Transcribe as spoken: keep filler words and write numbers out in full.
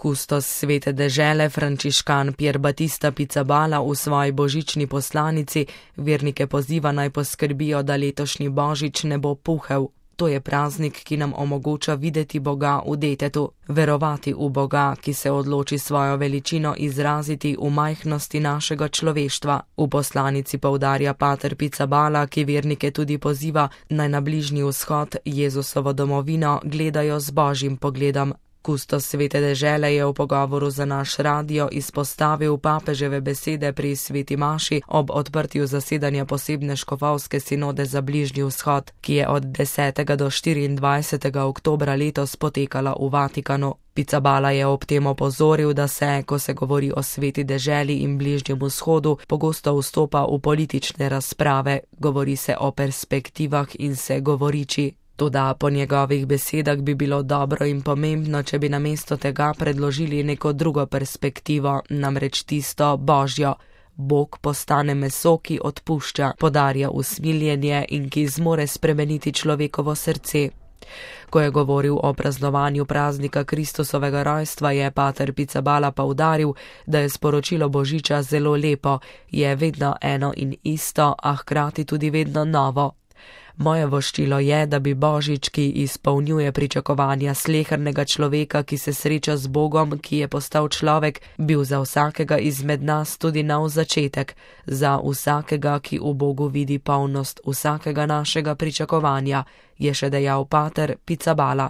Kustos svete dežele frančiškan Pier Battista Pizzaballa v svoji božični poslanici vernike poziva naj poskrbijo, da letošnji božič ne bo puhel. To je praznik, ki nam omogoča videti Boga v detetu, verovati v Boga, ki se odloči svojo veličino izraziti v majhnosti našega človeštva. V poslanici poudarja pater Pizzaballa, ki vernike tudi poziva, naj na Bližnji vzhod, Jezusovo domovino, gledajo z božjim pogledom. Kustos svete dežele je v pogovoru za naš radio izpostavil papeževe besede pri sveti maši ob odprtju zasedanja posebne škofovske sinode za Bližnji vzhod, ki je od desetega do štiriindvajsetega oktobra letos potekala v Vatikanu. Pizzaballa je ob tem opozoril, da se, ko se govori o sveti deželi in Bližnjem vzhodu, pogosto vstopa v politične razprave, govori se o perspektivah in se govoriči. Toda po njegovih besedah bi bilo dobro in pomembno, če bi namesto tega predložili neko drugo perspektivo, namreč tisto božjo. Bog postane meso, ki odpušča, podarja usmiljenje in ki zmore spremeniti človekovo srce. Ko je govoril o praznovanju praznika Kristusovega rojstva, je pater Pizzaballa poudaril, da je sporočilo božiča zelo lepo, je vedno eno in isto, a hkrati tudi vedno novo. Moje voščilo je, da bi božič, ki izpolnjuje pričakovanja slehernega človeka, ki se sreča z Bogom, ki je postal človek, bil za vsakega izmed nas tudi nov začetek, za vsakega, ki v Bogu vidi polnost vsakega našega pričakovanja, je še dejal pater Pizzaballa.